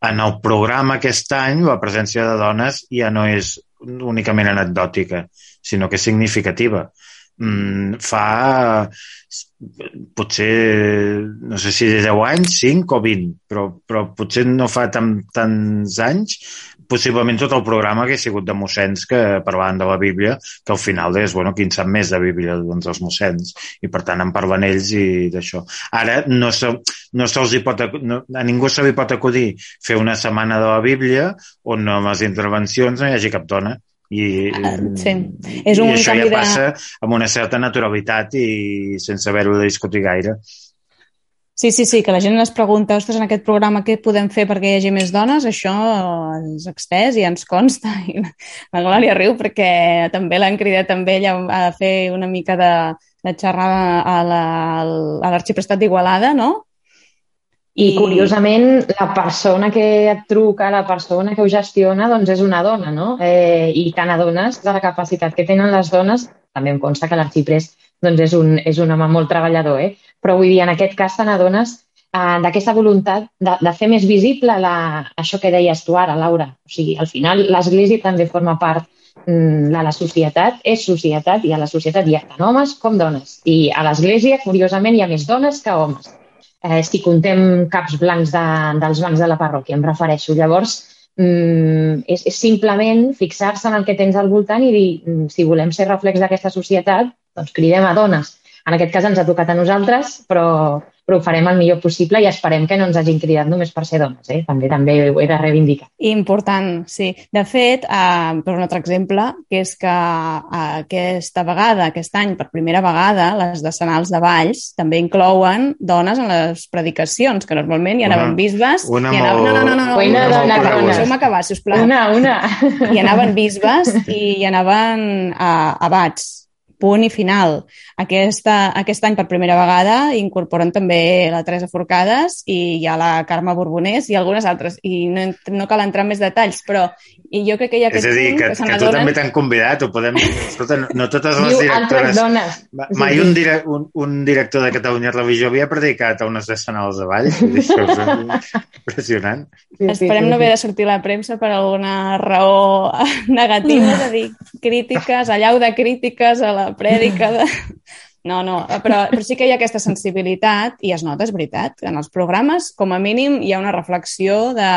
En el programa aquest any la presència de dones ja no és únicament anecdòtica, sinó que és significativa. Mm, fa potser, no sé si deu anys, cinc o vint, però, però potser no fa tan, tants anys, possiblement tot el programa hagués sigut de mossens que parlaven de la Bíblia, que al final és, bueno, qui en sap més de Bíblia, doncs els mossens, i per tant en parlen ells i d'això. Ara no, se, no se'ls hi pot, no, a ningú se li pot acudir fer una setmana de la Bíblia on amb les intervencions no hi hagi cap dona. I, sí. És un i això ja de... passa amb una certa naturalitat i sense haver-ho de discutir gaire. Sí, sí, sí, que la gent es pregunta, ostres, en aquest programa què podem fer perquè hi hagi més dones? Això és extès i ens consta. I la Glòria riu perquè també l'han cridat amb ella a fer una mica de, de xerrada a l'Arxiprestat la, d'Igualada, no? I, curiosament, la persona que et truca, la persona que ho gestiona, doncs és una dona, no? Eh, I tant a dones, de la capacitat que tenen les dones, també em consta que l'arxiprest doncs és, un, és un home molt treballador, eh? Però vull dir, en aquest cas t'adones eh, d'aquesta voluntat de, de fer més visible la, això que deies tu ara, Laura. O sigui, al final l'Església també forma part mm, de la societat, és societat, i a la societat hi ha tant homes com dones. I a l'Església, curiosament, hi ha més dones que homes. Eh, si contem caps blancs de, dels bancs de la parròquia, em refereixo. Llavors, mm, és, és simplement fixar-se en el que tens al voltant i dir, mm, si volem ser reflex d'aquesta societat, doncs cridem a dones. En aquest cas ens ha tocat a nosaltres, però, però ho farem el millor possible i esperem que no ens hagin cridat només per ser dones. Eh? També també ho he de reivindicar. Important, sí. De fet, eh, per un altre exemple, que és que eh, aquesta vegada, aquest any, per primera vegada, les decenals de Valls també inclouen dones en les predicacions, que normalment hi anaven una, bisbes... Una hi anaven, molt... No, no, no, no, una no, dona, no, dona. Deixeu-me acabar, sisplau. Una, una. Hi anaven bisbes i hi anaven eh, abats. Punt i final. Aquesta, aquest any, per primera vegada, incorporen també la Teresa Forcades i hi ha la Carme Borbonès i algunes altres. I no, no cal entrar en més detalls, però i jo crec que hi ha aquest És a dir, punt que, que, que tu adonen... també t'han convidat, ho podem... Escolta, no totes les Diu directores... altres dones. Mai un, dire... un, un director de Catalunya Religió havia predicat a unes decenals de Valls. És impressionant. Sí, sí, Esperem sí, no sí. haver de sortir a la premsa per alguna raó negativa, és a dir, crítiques, allau de crítiques a la prèdica de... No, no, però, però sí que hi ha aquesta sensibilitat i es nota, és veritat. En els programes, com a mínim, hi ha una reflexió de,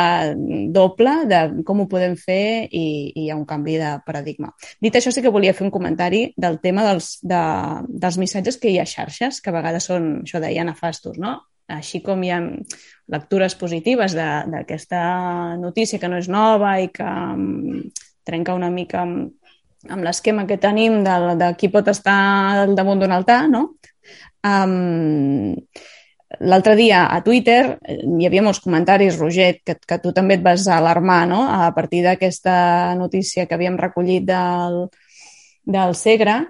doble de com ho podem fer i, i hi ha un canvi de paradigma. Dit això, sí que volia fer un comentari del tema dels, de, dels missatges que hi ha a xarxes, que a vegades són, això deia, nefastos, no? Així com hi ha lectures positives d'aquesta notícia que no és nova i que um, trenca una mica amb amb l'esquema que tenim de, de qui pot estar al damunt d'un altar, no? Um, L'altre dia a Twitter hi havia molts comentaris, Roger, que, que tu també et vas alarmar, no? A partir d'aquesta notícia que havíem recollit del, del Segre,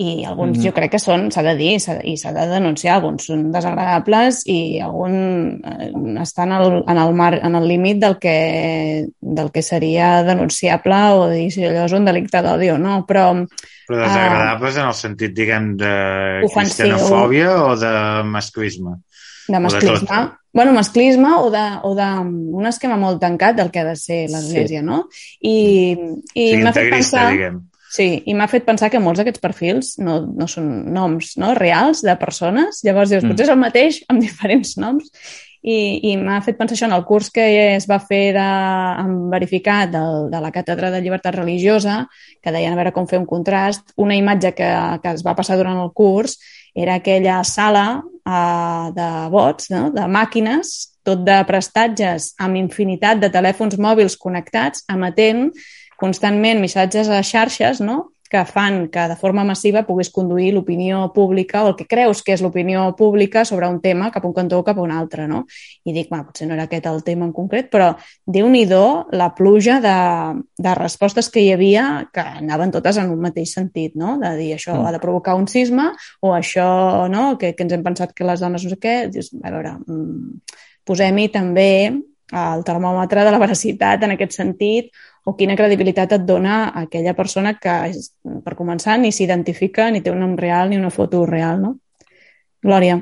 i alguns mm-hmm. jo crec que són, s'ha de dir, s'ha de, i s'ha de denunciar, alguns són desagradables i alguns eh, estan al, en el mar, en el límit del que, del que seria denunciable o dir si allò és un delicte d'odi o no, però... Però desagradables uh, en el sentit, diguem, de cristianofòbia o de masclisme? De masclisme. Bueno, masclisme o de, o de un esquema molt tancat del que ha de ser l'Església, sí. No? I, i sí, m'ha fet pensar... diguem. Sí, i m'ha fet pensar que molts d'aquests perfils no, no són noms no, reals de persones, llavors dius, potser és el mateix amb diferents noms, i, i m'ha fet pensar això en el curs que es va fer de, amb verificat de, de la Càtedra de Llibertat Religiosa, que deien a veure com fer un contrast, una imatge que, que es va passar durant el curs era aquella sala uh, de bots, no? De màquines, tot de prestatges amb infinitat de telèfons mòbils connectats, emetent constantment missatges a xarxes, no? que fan que de forma massiva puguis conduir l'opinió pública o el que creus que és l'opinió pública sobre un tema cap a un cantó o cap a un altre, no? I dic, bueno, potser no era aquest el tema en concret, però déu-n'hi-do la pluja de, de respostes que hi havia que anaven totes en un mateix sentit, no? De dir, això mm. ha de provocar un sisme o això, no?, que, que ens hem pensat que les dones no sé què. Dius, a veure, posem-hi també el termòmetre de la veracitat en aquest sentit, o quina credibilitat et dona aquella persona que, per començar, ni s'identifica, ni té un nom real, ni una foto real, no? Glòria.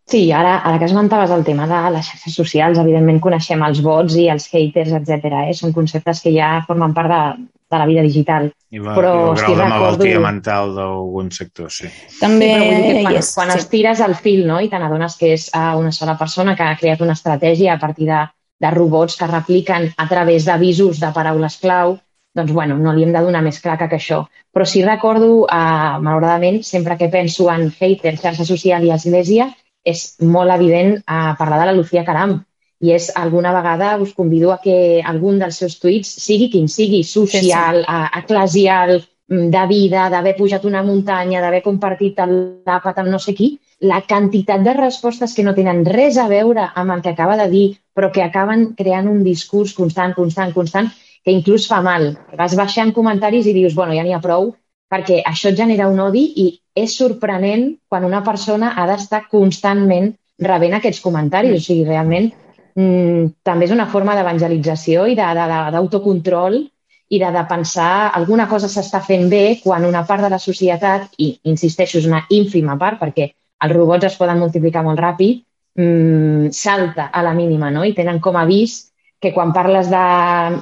Sí, ara, ara que esmentaves el tema de les xarxes socials, evidentment coneixem els bots i els haters, etcètera. Eh? Són conceptes que ja formen part de, de la vida digital. I va, però, el grau de recordo... malaltia mental d'algun sector, sí. També, sí, però vull dir que quan, yes, quan sí. estires el fil, no?, i te n'adones que és una sola persona que ha creat una estratègia a partir de de robots que repliquen a través d'avisos de paraules clau, doncs, bueno, no li hem de donar més claca que això. Però sí recordo, eh, malauradament, sempre que penso en haters, xarxa social i església, és molt evident eh, parlar de la Lucía Caram. I és, alguna vegada us convido a que algun dels seus tuits, sigui quin sigui, social, sí, sí. eclesial, de vida, d'haver pujat una muntanya, d'haver compartit l'àpat amb no sé qui, la quantitat de respostes que no tenen res a veure amb el que acaba de dir, però que acaben creant un discurs constant, constant, constant, que inclús fa mal. Vas baixant comentaris i dius, bueno, ja n'hi ha prou, perquè això et genera un odi i és sorprenent quan una persona ha d'estar constantment rebent aquests comentaris. O sigui, realment, mmm, també és una forma d'evangelització i d'autocontrol i de, de pensar alguna cosa s'està fent bé quan una part de la societat, i insisteixo, és una ínfima part, perquè els robots es poden multiplicar molt ràpid, mmm, salta a la mínima, no? I tenen com a avís que quan parles de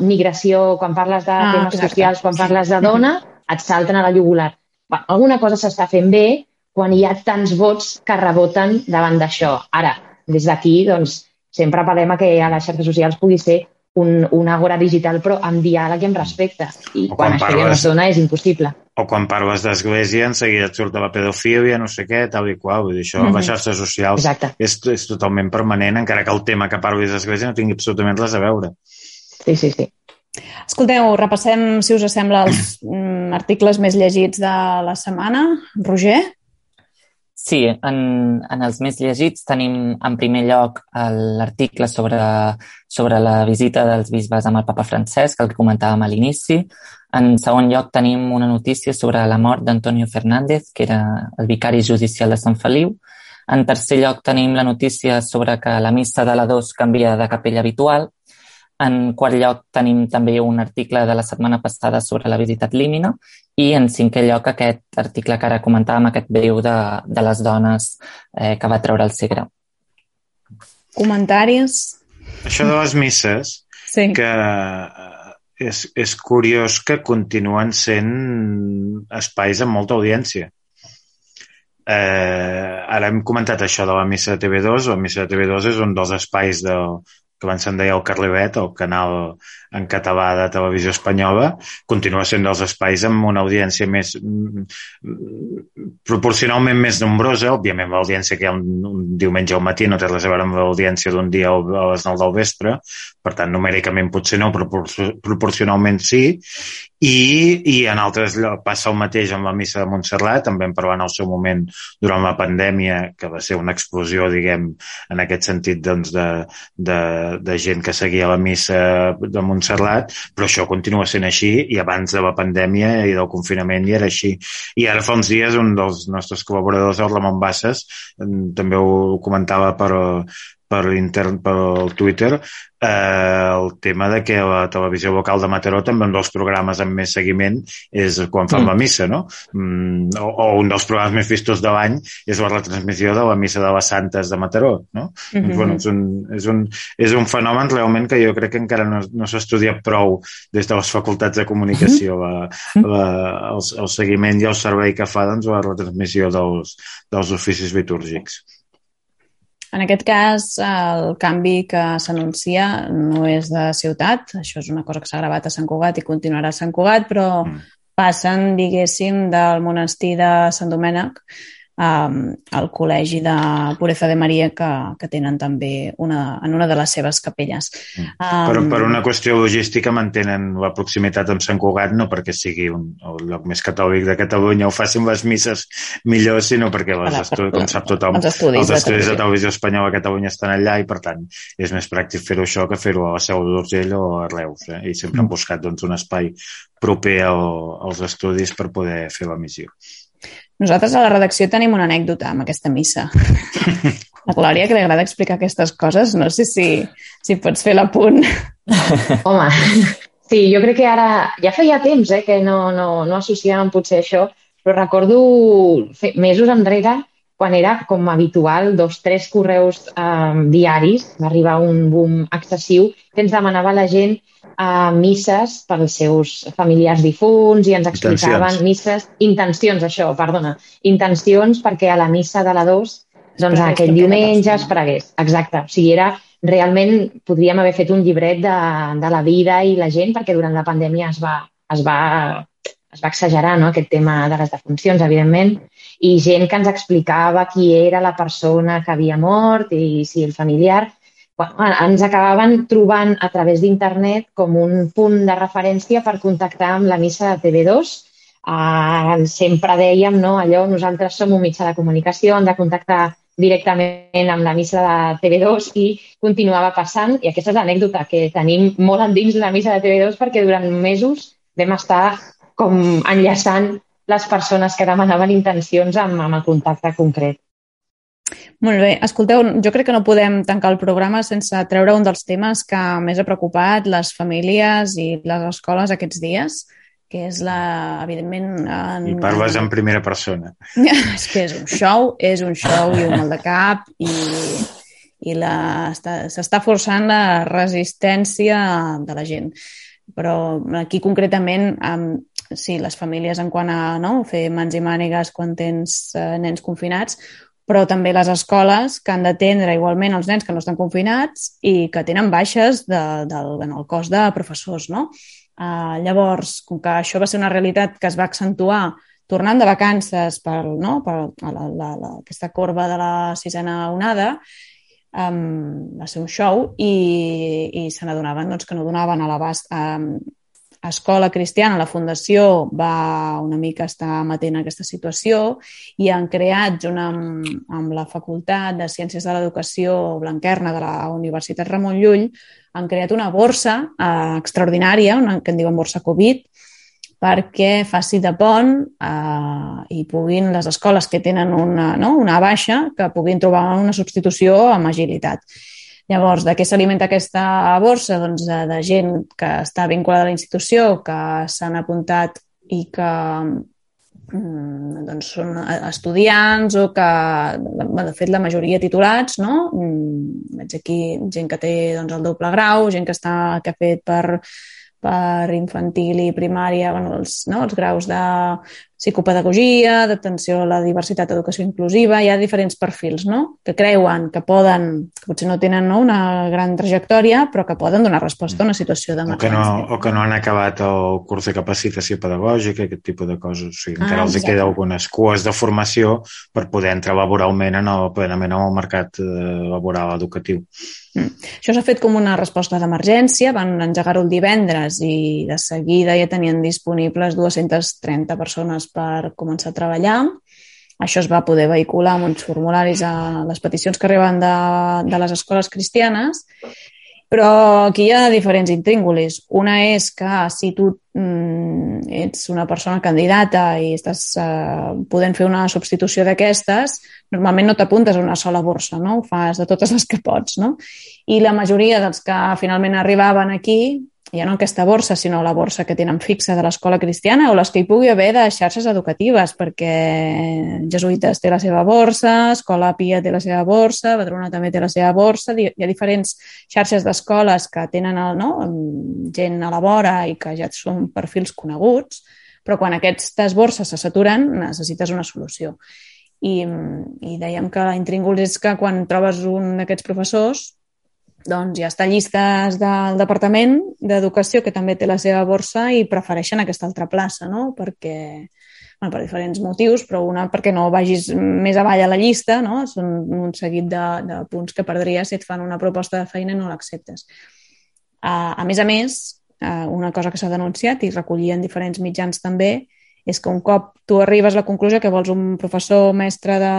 migració, quan parles de ah, temes exacte. socials, quan parles de dona, et salten a la jugular. Bé, alguna cosa s'està fent bé quan hi ha tants vots que reboten davant d'això. Ara, des d'aquí, doncs, sempre apel·lem a que a les xarxes socials pugui ser un, un àgora digital, però amb diàleg i amb respecte. I o quan, quan això parles... ja no es dona, és impossible. O quan parles d'església, en seguida et surt de la pedofília, no sé què, tal i qual. Vull dir, això, mm-hmm. les xarxes socials és, és totalment permanent, encara que el tema que parlis d'església no tingui absolutament res a veure. Sí, sí, sí. Escolteu, repassem, si us sembla, els mm, articles més llegits de la setmana. Roger? Sí, en, en els més llegits tenim en primer lloc l'article sobre, sobre la visita dels bisbes amb el papa Francesc, el que comentàvem a l'inici. En segon lloc tenim una notícia sobre la mort d'Antonio Fernández, que era el vicari judicial de Sant Feliu. En tercer lloc tenim la notícia sobre que la missa de la dos canvia de capella habitual. En quart lloc tenim també un article de la setmana passada sobre la visita ad limina i en cinquè lloc aquest article que ara comentàvem, aquest breu de, de les dones eh, que va treure el Segre. Comentaris? Això de les misses, sí. que és, és curiós que continuen sent espais amb molta audiència. Eh, ara hem comentat això de la missa de T V dos. La missa de T V dos és un dels espais del que abans se'n deia el Carlevet, el canal en català de televisió espanyola, continua sent dels espais amb una audiència més proporcionalment més nombrosa. Òbviament l'audiència que hi ha un, un diumenge al matí no té res a veure amb l'audiència d'un dia a les nou del vespre, per tant numèricament potser no, però proporcionalment sí. I, i en altres passa el mateix amb la missa de Montserrat. També en parlant al seu moment durant la pandèmia, que va ser una explosió, diguem, en aquest sentit, doncs, de, de, de gent que seguia la missa de Montserrat, però això continua sent així i abans de la pandèmia i del confinament ja era així. I ara fa uns dies un dels nostres col·laboradors, el Ramon Bassas, també ho comentava per, per intern, pel Twitter, eh, el tema de que la televisió local de Mataró també un dels programes amb més seguiment és quan fan mm. la missa, no? Mm, o, o un dels programes més vistos de l'any és la retransmissió de la missa de les Santes de Mataró, no? Mm-hmm. Doncs, bueno, és, un, és, un, és un fenomen realment que jo crec que encara no, no s'ha estudiat prou des de les facultats de comunicació, mm-hmm. la, la, el, el seguiment i el servei que fa, doncs, la retransmissió dels, dels oficis litúrgics. En aquest cas, el canvi que s'anuncia no és de ciutat, això és una cosa que s'ha gravat a Sant Cugat i continuarà a Sant Cugat, però mm. passen, diguéssim, del monestir de Sant Domènec um, al col·legi de Pureza de Maria que, que tenen també una, en una de les seves capelles. Mm. Um, per, per una qüestió logística mantenen la proximitat amb Sant Cugat, no perquè sigui un, el lloc més catòlic de Catalunya o facin les misses millor, sinó perquè les estudis, com sap tothom, els estudis, els estudis de televisió espanyola a Catalunya estan allà i per tant és més pràctic fer-ho això que fer-ho a la Seu d'Urgell o a Reus, eh? I sempre han buscat doncs, un espai proper al, als estudis per poder fer la missió. Nosaltres a la redacció tenim una anècdota amb aquesta missa. La Glòria, que li agrada explicar aquestes coses, no sé si, si pots fer l'apunt. Home, sí, jo crec que ara ja feia temps eh, que no, no, no associàvem potser això, però recordo mesos enrere quan era com habitual dos, tres correus eh, diaris, va arribar un boom excessiu que ens demanava la gent a uh, misses pels seus familiars difunts i ens explicaven intencions. misses, intencions, això, perdona, intencions perquè a la missa de la dos, doncs aquell diumenge es pregués. Exacte, o sigui, era realment, podríem haver fet un llibret de, de la vida i la gent perquè durant la pandèmia es va, es va, es va exagerar, no?, aquest tema de les defuncions, evidentment, i gent que ens explicava qui era la persona que havia mort i si el familiar... Bueno, ens acabaven trobant a través d'internet com un punt de referència per contactar amb la missa de T V dos. Uh, sempre dèiem, no, allò, nosaltres som un mitjà de comunicació, hem de contactar directament amb la missa de T V dos i continuava passant. I aquesta és l'anècdota que tenim molt endins de la missa de T V dos perquè durant mesos vam estar com enllaçant les persones que demanaven intencions amb, amb el contacte concret. Molt bé. Escolteu, jo crec que no podem tancar el programa sense treure un dels temes que més ha preocupat les famílies i les escoles aquests dies, que és la, evidentment... En, I parles en primera persona. És que és un show, és un show i un mal de cap i, i la, s'està forçant la resistència de la gent. Però aquí concretament, sí, les famílies en quant a no, fer mans i mànigues quan tens eh, nens confinats, però també les escoles que han d'atendre igualment els nens que no estan confinats i que tenen baixes de, del, en el cos de professors, no? Uh, llavors, com que això va ser una realitat que es va accentuar tornant de vacances per, no, per la, la, la, aquesta corba de la sisena onada, um, va ser un show i, i se n'adonaven doncs, que no donaven a l'abast. Um, Escola Cristiana, la Fundació, va una mica estar amatent a aquesta situació i han creat, junt amb, amb la Facultat de Ciències de l'Educació Blanquerna de la Universitat Ramon Llull, han creat una borsa eh, extraordinària, una, que en diuen borsa Covid, perquè faci de pont eh, i puguin les escoles que tenen una, no, una baixa, que puguin trobar una substitució amb agilitat. Llavors, de què s'alimenta aquesta borsa? Doncs de, de gent que està vinculada a la institució, que s'han apuntat i que mm, doncs són estudiants o que, de fet, la majoria titulats, no? Mm, veig aquí gent que té doncs, el doble grau, gent que, està, que ha fet per, per infantil i primària, bueno, els, no? els graus de psicopedagogia, d'atenció a la diversitat, educació inclusiva, hi ha diferents perfils, no? Que creuen que poden, que potser no tenen no, una gran trajectòria, però que poden donar resposta a una situació d'emergència. O, que no, o que no han acabat el curs de capacitació pedagògica, aquest tipus de coses. O sigui, encara ah, els queda algunes cues de formació per poder entrar laboralment en el, plenament en el mercat laboral educatiu. Mm. Això s'ha fet com una resposta d'emergència, van engegar-ho el divendres i de seguida ja tenien disponibles dues-centes trenta persones per començar a treballar. Això es va poder vehicular amb uns formularis a les peticions que arriben de, de les escoles cristianes, però aquí hi ha diferents intríngulis. Una és que si tu mm, ets una persona candidata i estàs eh, podent fer una substitució d'aquestes, normalment no t'apuntes a una sola borsa, no? Ho fas de totes les que pots, no? I la majoria dels que finalment arribaven aquí, ja no aquesta borsa, sinó la borsa que tenen fixa de l'escola cristiana o les que hi pugui haver de xarxes educatives, perquè Jesuïtes té la seva borsa, Escola Pia té la seva borsa, Badruna també té la seva borsa, hi ha diferents xarxes d'escoles que tenen el, no, gent a la vora i que ja són perfils coneguts, però quan aquestes borses se saturen necessites una solució. I, i dèiem que l'intrínguls és que quan trobes un d'aquests professors doncs ja està llistes del Departament d'Educació, que també té la seva borsa, i prefereixen aquesta altra plaça, no? Perquè, bueno, per diferents motius, però una perquè no vagis més avall a la llista, no? Són un seguit de, de punts que perdries si et fan una proposta de feina i no l'acceptes. Uh, a més a més, uh, una cosa que s'ha denunciat i recollien diferents mitjans també és que un cop tu arribes a la conclusió que vols un professor mestre de,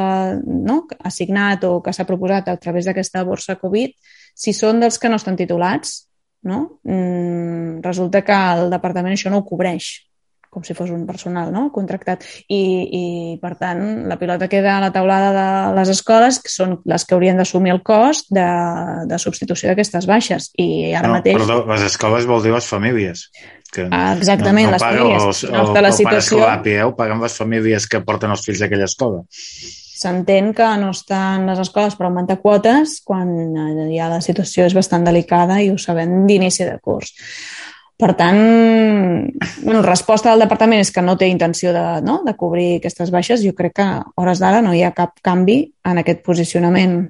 no, assignat o que s'ha proposat a través d'aquesta borsa Covid, si són dels que no estan titulats, no? Mm, resulta que el departament això no ho cobreix, com si fos un personal, no? Contractat. I, i, per tant, la pilota queda a la taulada de les escoles, que són les que haurien d'assumir el cost de, de substitució d'aquestes baixes. I ara no, mateix... Perdó, les escoles vol dir les famílies. Que ah, exactament, no, no les famílies. Els, no, el, la el situació... pare escolapi, eh? Ho paguen les famílies que porten els fills d'aquella escola. S'entén que no estan les escoles per augmentar quotes quan ja la situació és bastant delicada i ho sabem d'inici de curs. Per tant, bueno, la resposta del departament és que no té intenció de, no, de cobrir aquestes baixes. Jo crec que a hores d'ara no hi ha cap canvi en aquest posicionament.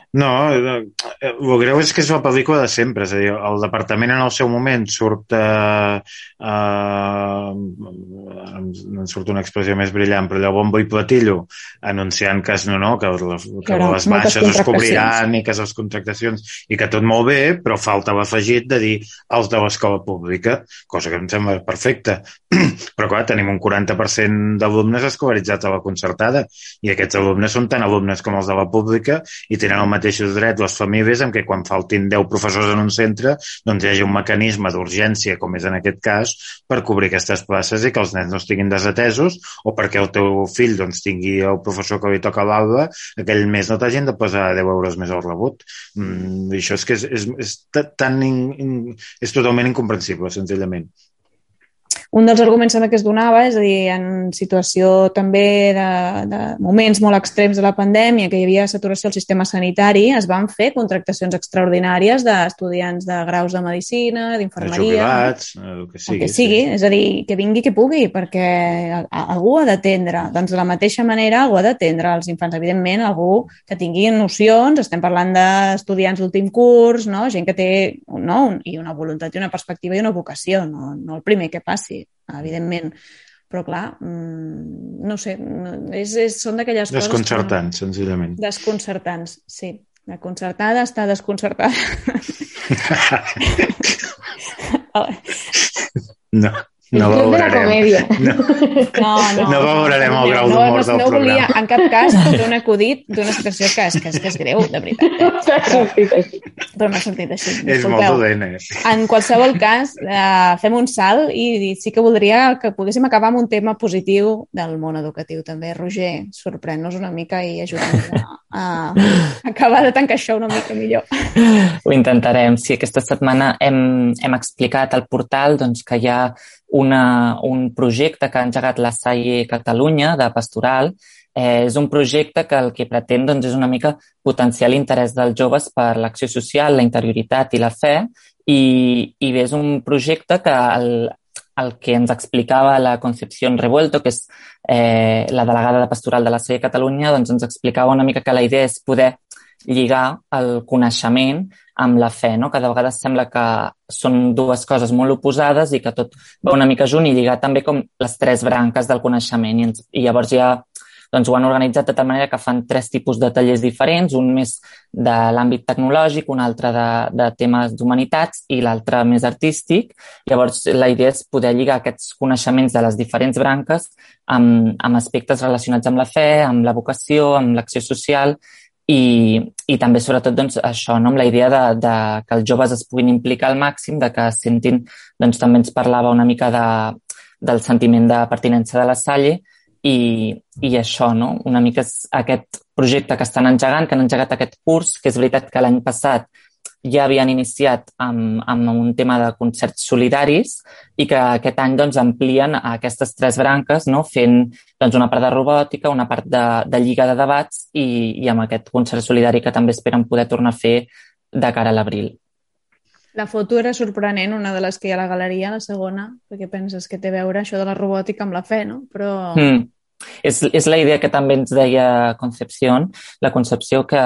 No, el greu és que és la pel·lícula de sempre, és a dir, el departament en el seu moment surt eh, eh, no en surt una expressió més brillant, però allò bombo i platillo anunciant que, no, no, que, les, que les baixes es cobriran i que les contractacions i que tot molt bé, però falta l'afegit de dir els de l'escola pública, cosa que em sembla perfecta. Però clar, tenim un quaranta per cent d'alumnes escolaritzats a la concertada i aquests alumnes són tan alumnes com els de la pública i tenen el mateixos drets les famílies en què quan faltin deu professors en un centre doncs hi hagi un mecanisme d'urgència, com és en aquest cas, per cobrir aquestes places i que els nens no estiguin desatesos o perquè el teu fill doncs, tingui el professor que li toca a l'aula, aquell mes no t'hagin de posar deu euros més al rebut. Mm, això és que és, és, és, tan in, in, és totalment incomprensible, senzillament. Un dels arguments que es donava, és a dir, en situació també de, de moments molt extrems de la pandèmia, que hi havia saturació al sistema sanitari, es van fer contractacions extraordinàries d'estudiants de graus de medicina, d'infermeria... Jubilats, el que sigui. El que sigui, sí. És a dir, que vingui qui pugui, perquè algú ha d'atendre. Doncs de la mateixa manera algú ha d'atendre els infants. Evidentment, algú que tingui nocions, estem parlant d'estudiants d'últim curs, no? Gent que té no? i una voluntat i una perspectiva i una vocació, no, no el primer que passi, evidentment. Però, clar, no sé, és, és, són d'aquelles coses... Desconcertants, senzillament. Desconcertants, sí. La concertada està desconcertada. No. No valorarem. No, no, no, no valorarem el grau d'humor del no programa. Volia, en cap cas, fer un acudit d'una situació que és, que és, que és greu, de veritat. Però, però m'ha sortit així. És molt dolent, eh? En qualsevol cas, eh, fem un salt i sí que voldria que poguéssim acabar amb un tema positiu del món educatiu. També, Roger, sorprèn-nos una mica i ajuda'ns a, a acabar de tancar això una mica millor. Ho intentarem. Sí, aquesta setmana hem, hem explicat al portal doncs, que hi ha Una, un projecte que ha engegat la Salle Catalunya de Pastoral. Eh, és un projecte que el que pretén doncs, és una mica potenciar l'interès dels joves per l'acció social, la interioritat i la fe i, i bé, és un projecte que el, el que ens explicava la Concepción Revuelto, que és eh, la delegada de Pastoral de la Salle Catalunya, doncs ens explicava una mica que la idea és poder lligar el coneixement amb la fe, no? Que de vegades sembla que són dues coses molt oposades i que tot va una mica junt i lligar també com les tres branques del coneixement. I, ens, i llavors ja doncs, ho han organitzat de tal manera que fan tres tipus de tallers diferents, un més de l'àmbit tecnològic, un altre de, de temes d'humanitats i l'altre més artístic. Llavors la idea és poder lligar aquests coneixements de les diferents branques amb, amb aspectes relacionats amb la fe, amb la vocació, amb l'acció social. I, i també, sobretot, doncs, això, no? Amb la idea de, de que els joves es puguin implicar al màxim, de que sentin, doncs, també ens parlava una mica de, del sentiment de pertinença de la Salle i, i això, no? Una mica és aquest projecte que estan engegant, que han engegat aquest curs, que és veritat que l'any passat ja havien iniciat amb, amb un tema de concerts solidaris i que aquest any doncs, amplien aquestes tres branques, no? Fent doncs, una part de robòtica, una part de, de lliga de debats i, i amb aquest concert solidari que també esperen poder tornar a fer de cara a l'abril. La foto era sorprenent, una de les que hi ha a la galeria, la segona, perquè penses que té a veure això de la robòtica amb la fe, no? Però... Mm. És, és la idea que també ens deia Concepción, la Concepció que,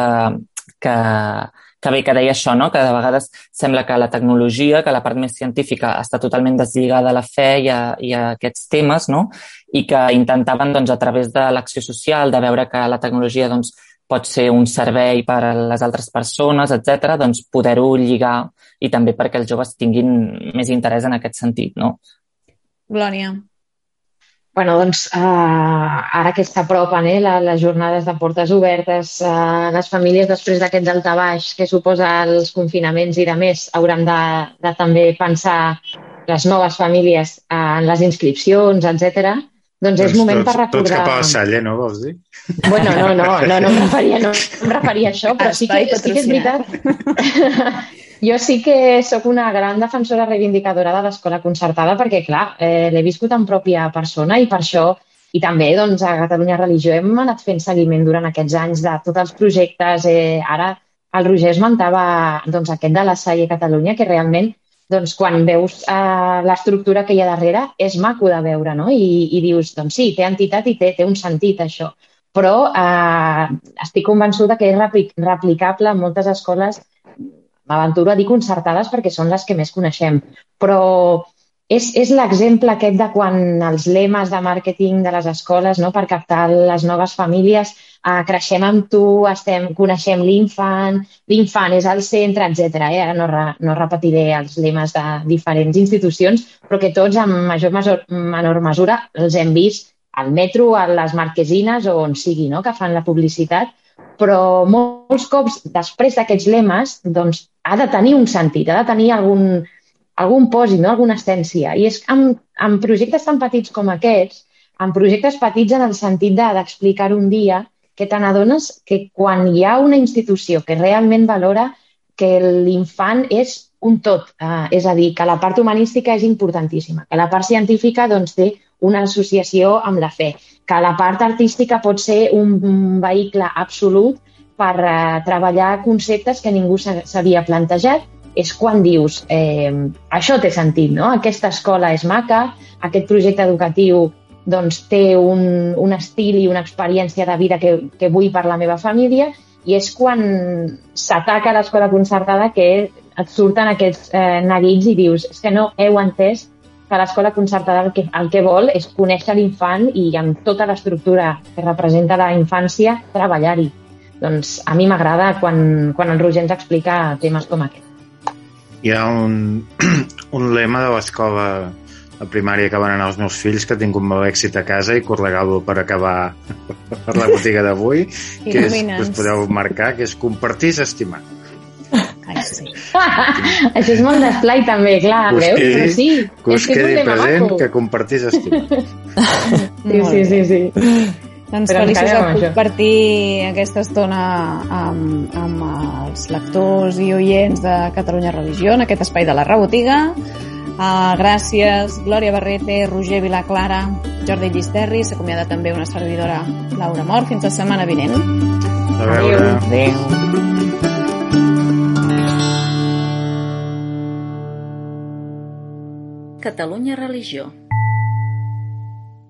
que, que bé, que deia això, no? Que de vegades sembla que la tecnologia, que la part més científica està totalment deslligada a la fe i a, i a aquests temes, no? i que intentaven, doncs, a través de l'acció social, de veure que la tecnologia doncs, pot ser un servei per a les altres persones, etcètera, doncs poder-ho lligar i també perquè els joves tinguin més interès en aquest sentit, no? Glòria. Bueno, doncs, uh, ara que s'apropen eh, les jornades de portes obertes, uh, les famílies després d'aquest daltabaix que suposa els confinaments i de més hauran de, de també pensar les noves famílies uh, en les inscripcions, etcètera. Doncs, doncs és moment tots, per recordar... Tots cap a la Salle, no, vols dir? Bueno, no, no, no, no em referia, no em referia a això, però sí que, sí que és veritat. Jo sí que sóc una gran defensora reivindicadora de l'escola concertada perquè, clar, eh, l'he viscut en pròpia persona i per això, i també doncs, a Catalunya Religió hem anat fent seguiment durant aquests anys de tots els projectes. Eh, ara el Roger esmentava doncs, aquest de la Salle Catalunya, que realment doncs, quan veus eh, l'estructura que hi ha darrere és maco de veure, no? I, i dius, doncs sí, té entitat i té, té un sentit això, però eh, estic convençuda que és repli replicable en moltes escoles. M'aventuro a dir concertades perquè són les que més coneixem, però és, és l'exemple aquest de quan els lemes de màrqueting de les escoles, no, per captar les noves famílies, eh, creixem amb tu, estem, coneixem l'infant, l'infant és al centre, etcètera. Eh? Ara no, re, no repetiré els lemes de diferents institucions, però que tots en major o menor mesura els hem vist al metro, a les marquesines o on sigui, no, que fan la publicitat. Però molts cops, després d'aquests lemes, doncs, ha de tenir un sentit, ha de tenir algun, algun pòsit, no? Alguna essència. I és en, en projectes tan petits com aquests, en projectes petits en el sentit d'explicar un dia, que te n'adones que quan hi ha una institució que realment valora que l'infant és un tot, eh, és a dir, que la part humanística és importantíssima, que la part científica doncs, té una associació amb la fe, que la part artística pot ser un, un vehicle absolut per eh, treballar conceptes que ningú s'havia plantejat, és quan dius, eh, això té sentit, no? Aquesta escola és maca, aquest projecte educatiu doncs, té un, un estil i una experiència de vida que, que vull per la meva família, i és quan s'ataca l'escola concertada que et surten aquests eh, neguits i dius, és que no heu entès que l'escola concertada el que, el que vol és conèixer l'infant i amb tota l'estructura que representa la infància treballar-hi. Doncs a mi m'agrada quan, quan el Roger ens explica temes com aquest. Hi ha un, un lema de l'escola a primària que van anar els meus fills, que he tingut molt èxit a casa i que us regalo per acabar per la botiga d'avui, que és, que us podeu marcar, que és compartir és estimar. Ai, sí. Això és molt d'esplai també, clar, us veus? Quedi, però sí, que us és que quedi és un present maco. que compartir és estimar. Sí, sí, sí, sí. Doncs Però feliços encara de amb això. compartir aquesta estona amb, amb els lectors i oients de Catalunya Religió en aquest espai de la Rebotiga. Uh, gràcies, Glòria Barrete, Roger Vilaclara, Jordi Llisterri. S'acomiada també una servidora, Laura Mort. Fins la setmana vinent. A veure. Adéu. Catalunya Religió.